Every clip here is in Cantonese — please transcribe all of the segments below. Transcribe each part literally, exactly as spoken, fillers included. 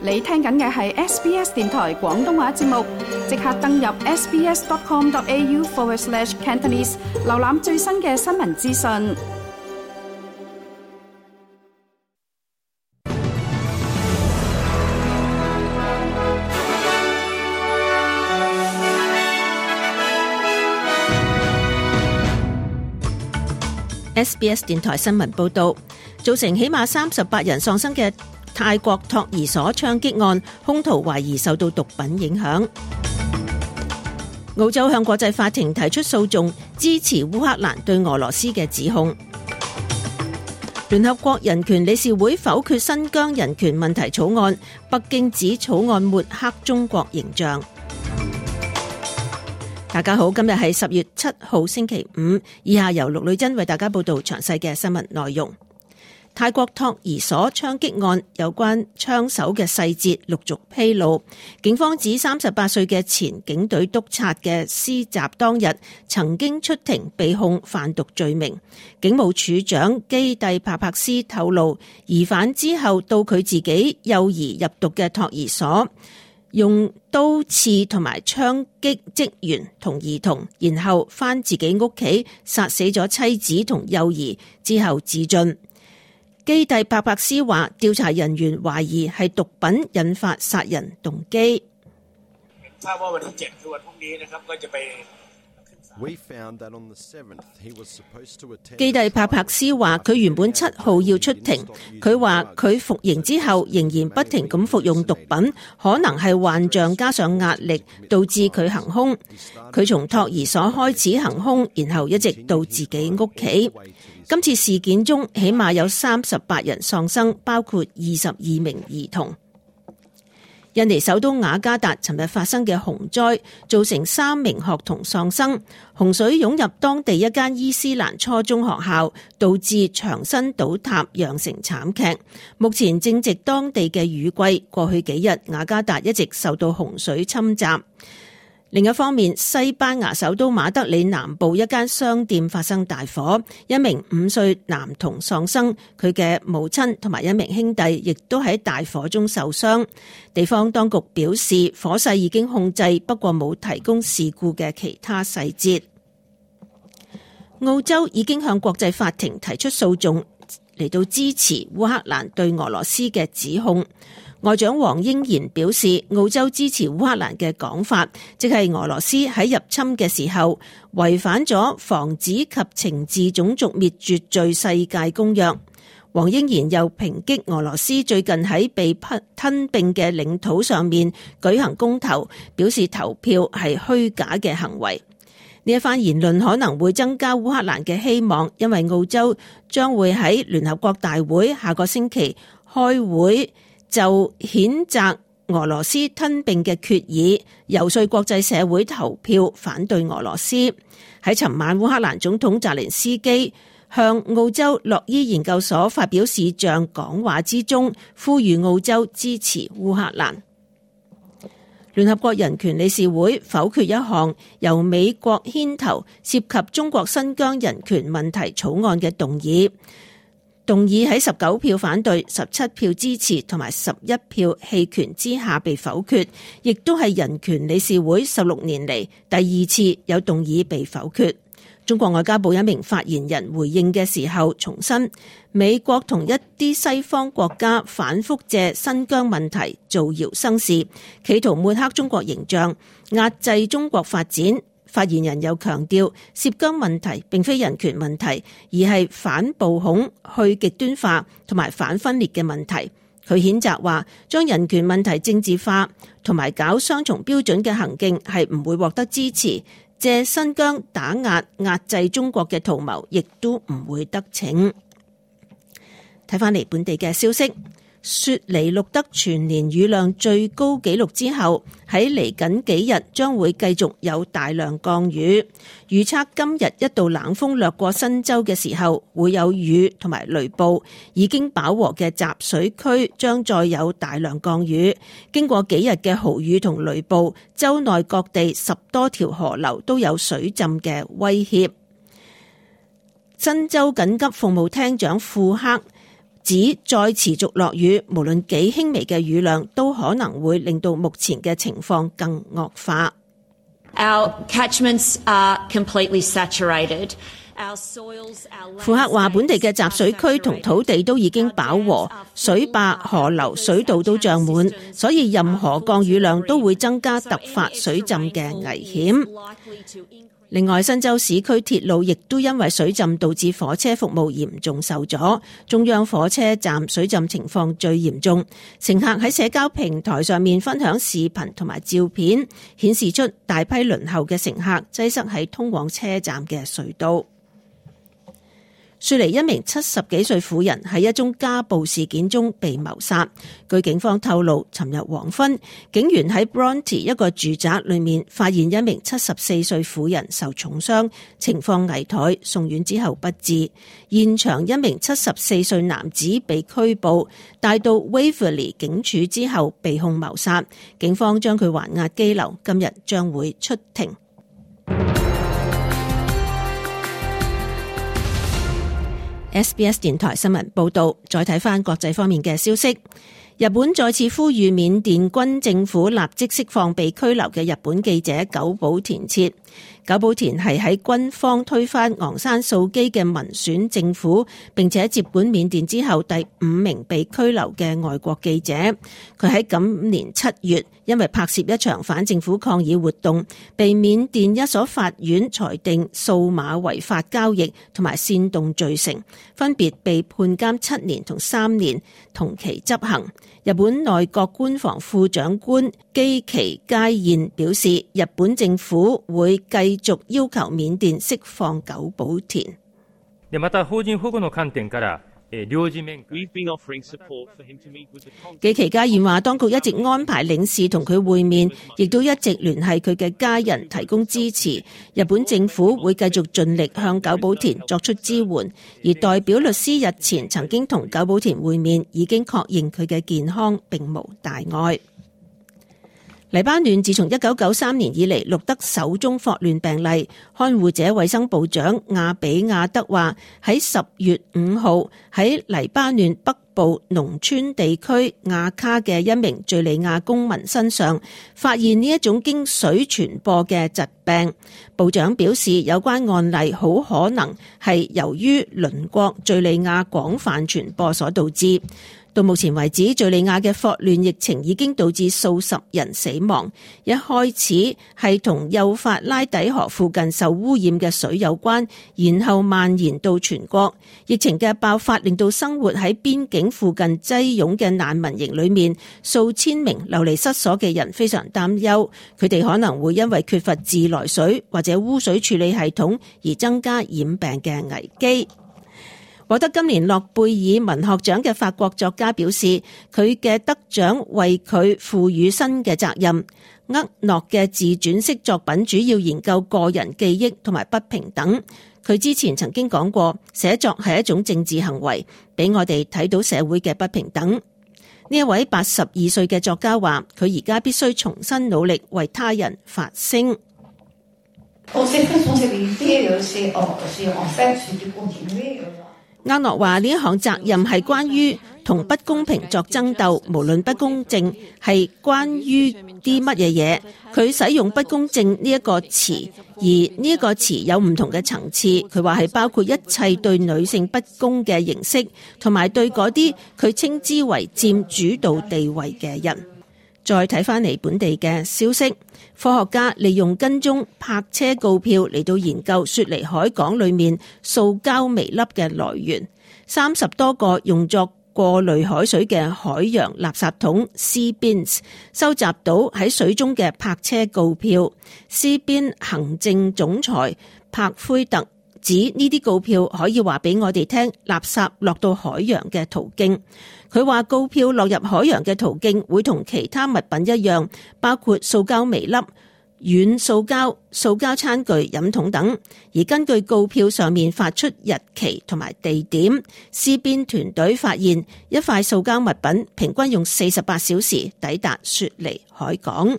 你聽緊嘅係 S B S 電台廣東話節目，即刻登入 sbs.com.au forward slash Cantonese， 瀏覽最新嘅新聞資訊。S B S 電台新聞報道，造成起碼三十八人喪生嘅泰國托兒所槍擊案，兇徒懷疑受到毒品影響。澳洲向國際法庭提出訴訟，支持烏克蘭對俄羅斯嘅指控。聯合國人權理事會否決新疆人權問題草案，北京指草案抹黑中國形象。大家好，今日係十月七號星期五，以下由陸女珍為大家報道詳細嘅新聞內容。泰國托兒所槍擊案有關槍手嘅細節陸續披露，警方指三十八歲嘅前警隊督察嘅施襲當日曾經出庭被控販毒罪名。警務處長基蒂帕帕斯透露，疑犯之後到佢自己幼兒入讀嘅托兒所，用刀刺同埋槍擊職員同兒童，然後返自己屋企殺死咗妻子同幼兒之後自盡。基蒂帕帕斯話，調查人員懷疑係毒品引發殺人動機。基蒂帕帕斯話，佢原本七號要出庭，佢話佢服刑之後仍然不停咁服用毒品，可能係幻象加上壓力導致佢行兇。佢從托兒所開始行兇，然後一直到自己屋企。今次事件中起碼有三十八人喪生，包括二十二名兒童。印尼首都雅加達尋日發生嘅洪災，造成三名學童喪生。洪水湧入當地一間伊斯蘭初中學校，導致牆身倒塌，釀成慘劇。目前正值當地嘅雨季，過去幾日雅加達一直受到洪水侵襲。另一方面，西班牙首都馬德里南部一間商店發生大火，一名五歲男童喪生，佢嘅母親同埋一名兄弟亦都喺大火中受傷。地方當局表示，火勢已經控制，不過冇提供事故嘅其他細節。澳洲已經向國際法庭提出訴訟，嚟到支持烏克蘭對俄羅斯嘅指控。外長黃英賢表示，澳洲支持烏克蘭嘅講法，即係俄羅斯喺入侵嘅時候違反咗防止及懲治種族滅絕罪世界公約。黃英賢又抨擊俄羅斯最近喺被吞併嘅領土上面舉行公投，表示投票係虛假嘅行為。呢一番言論可能會增加烏克蘭嘅希望，因為澳洲將會喺聯合國大會下個星期開會，就譴責俄羅斯吞併嘅決議，遊說國際社會投票反對俄羅斯。喺尋晚，烏克蘭總統澤連斯基向澳洲洛伊研究所發表視像講話之中，呼籲澳洲支持烏克蘭。聯合國人權理事會否決一項由美國牽頭涉及中國新疆人權問題草案嘅動議。動議喺十九票反對、十七票支持同埋十一票棄權之下被否決，亦都係人權理事會十六年嚟第二次有動議被否決。中國外交部一名發言人回應嘅時候重申，美國同一啲西方國家反覆借新疆問題造謠生事，企圖抹黑中國形象，壓制中國發展。發言人又強調，涉疆問題並非人權問題，而係反暴恐、去極端化同埋反分裂嘅問題。佢譴責話，將人權問題政治化同埋搞雙重標準嘅行徑係唔會獲得支持，借新疆打壓壓制中國嘅圖謀亦都唔會得逞。睇返嚟本地嘅消息。雪梨錄得全年雨量最高紀錄之後，喺嚟緊幾日將會繼續有大量降雨。預測今日一道冷鋒掠過新州嘅時候，會有雨同埋雷暴。已經飽和嘅集水區將再有大量降雨。經過幾日嘅豪雨同雷暴，州內各地十多條河流都有水浸嘅威脅。新州緊急服務廳長庫克指再持續落雨，無論幾輕微嘅雨量，都可能會令到目前嘅情況更惡化。Our catchments are completely saturated.庫克話本地嘅集水區同土地都已經飽和，水壩、河流、水道都漲滿，所以任何降雨量都會增加突發水浸嘅危險。另外，新州市區鐵路亦都因為水浸導致火車服務嚴重受阻，中央火車站水浸情況最嚴重。乘客喺社交平台上面分享視頻同埋照片，顯示出大批輪候嘅乘客擠塞喺通往車站嘅隧道。雪梨一名七十幾歲婦人喺一宗家暴事件中被謀殺。據警方透露，尋日黃昏，警員喺 Bronte 一個住宅裏面發現一名七十四歲婦人受重傷，情況危殆，送院之後不治。現場一名七十四歲男子被拘捕，帶到 Waverley 警署之後被控謀殺。警方將佢還押羈留，今日將會出庭。S B S 電台新聞報道，再睇返國際方面嘅消息。日本再次呼籲緬甸軍政府立即釋放被拘留嘅日本記者久保田徹。久保田係喺軍方推翻昂山素基嘅民選政府，並且接管緬甸之後第五名被拘留嘅外國記者。佢喺今年七月因為拍攝一場反政府抗議活動，被緬甸一所法院裁定數碼違法交易同埋煽動罪成，分別被判監七年同三年，同期執行。日本內閣官房副長官基崎佳彥表示，日本政府會繼續要求緬甸釋放久保田。また邦人保護の觀點から基崎佳彥話，當局一直安排領事同佢會面，亦都一直聯繫佢嘅家人提供支持。日本政府會繼續盡力向久保田作出支援，而代表律師日前曾經同久保田會面，已經確認佢嘅健康並無大礙。黎巴嫩自從一九九三年以嚟錄得首宗霍亂病例，看護者衛生部長亞比亞德話，喺十月五號喺黎巴嫩北部農村地區亞卡嘅一名敘利亞公民身上發現呢一種經水傳播嘅疾病。部長表示，有關案例好可能係由於鄰國敘利亞廣泛傳播所導致。到目前為止，敘利亞嘅霍亂疫情已經導致數十人死亡。一開始係同幼發拉底河附近受污染嘅水有關，然後蔓延到全國。疫情嘅爆發令到生活喺邊境附近擠擁嘅難民營裏面數千名流離失所嘅人非常擔憂，佢哋可能會因為缺乏自來水或者污水處理系統而增加染病嘅危機。獲得今年諾貝爾文學獎嘅法國作家表示，佢嘅得獎為佢賦予新嘅責任。厄諾嘅自傳式作品主要研究個人記憶同埋不平等。佢之前曾經講過，寫作係一種政治行為，俾我哋睇到社會嘅不平等。呢一位八十二歲嘅作家話，佢而家必須重新努力為他人發聲。厄諾話呢一項責任係關於同不公平作爭鬥，無論不公正係關於啲乜嘢嘢。佢使用不公正呢一個詞，而呢一個詞有唔同嘅層次。佢話係包括一切對女性不公嘅形式，同埋對嗰啲佢稱之為佔主導地位嘅人。再睇翻嚟本地嘅消息，科學家利用跟蹤泊車告票嚟到研究雪梨海港裏面塑膠微粒嘅來源。三十多個用作過濾海水嘅海洋垃圾桶 Sea Bins 收集到喺水中嘅泊車告票。Sea Bin 行政總裁柏奎特指呢啲告票可以話俾我哋聽垃圾落到海洋嘅途徑。佢話告票落入海洋嘅途徑會同其他物品一樣，包括塑膠微粒、軟塑膠、塑膠餐具、飲筒等。而根據告票上面發出日期同埋地點，施邊團隊發現一塊塑膠物品平均用四十八小時抵達雪梨海港。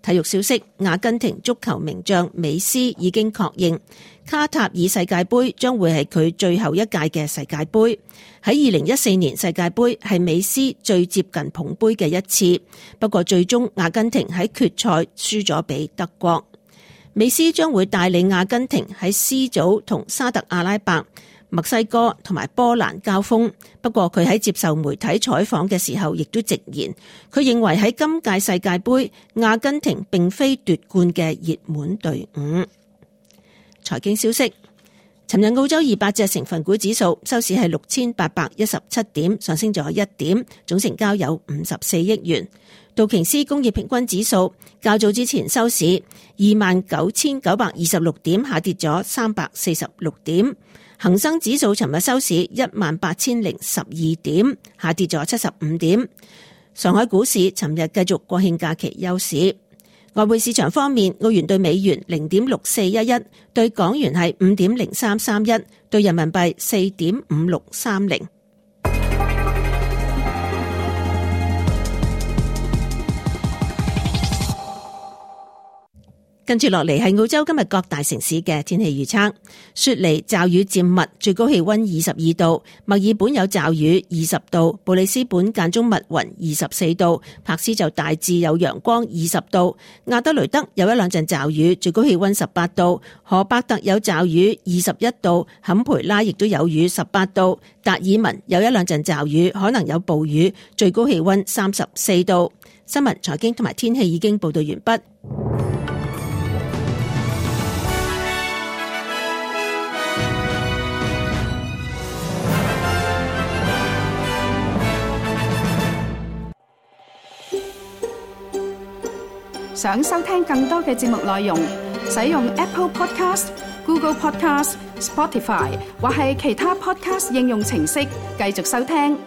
體育消息，阿根廷足球名將美斯已經確認，卡塔爾世界盃將會係佢最後一屆嘅世界盃。喺二零一四年世界盃係美斯最接近捧盃嘅一次，不過最終阿根廷喺決賽輸咗俾德國。美斯將會帶領阿根廷喺 C 組同沙特阿拉伯、墨西哥同埋波蘭交鋒，不過佢喺接受媒體採訪嘅時候亦都直言，佢認為喺今屆世界盃，阿根廷並非奪冠嘅熱門隊伍。財經消息，尋日澳洲二百隻成分股指數收市係六千八百一十七點，上升咗一點，總成交有五十四億元。道瓊斯工業平均指數較早之前收市二萬九千九百二十六點，下跌咗三百四十六點。恒生指數尋日收市一萬八千零十二點，下跌咗七十五點。上海股市尋日繼續國慶假期休市。外匯市場方面，澳元對美元零點六四一一，對港元係五點零三三一，對人民幣四點五六三零。跟住落嚟係澳洲今日各大城市嘅天氣預測。雪梨驟雨漸密，最高氣溫二十二度；墨爾本有驟雨二十度；布里斯本間中密雲二十四度；柏斯就大致有陽光二十度；亞德雷德有一兩陣驟雨，最高氣溫十八度；荷伯特有驟雨二十一度；坎培拉亦都有雨十八度；達爾文有一兩陣驟雨，可能有暴雨，最高氣溫三十四度。新聞、財經同埋天氣已經報道完畢。想收聽更多嘅節目內容，使用 Apple Podcast、Google Podcast、Spotify 或係其他 Podcast 應用程式繼續收聽。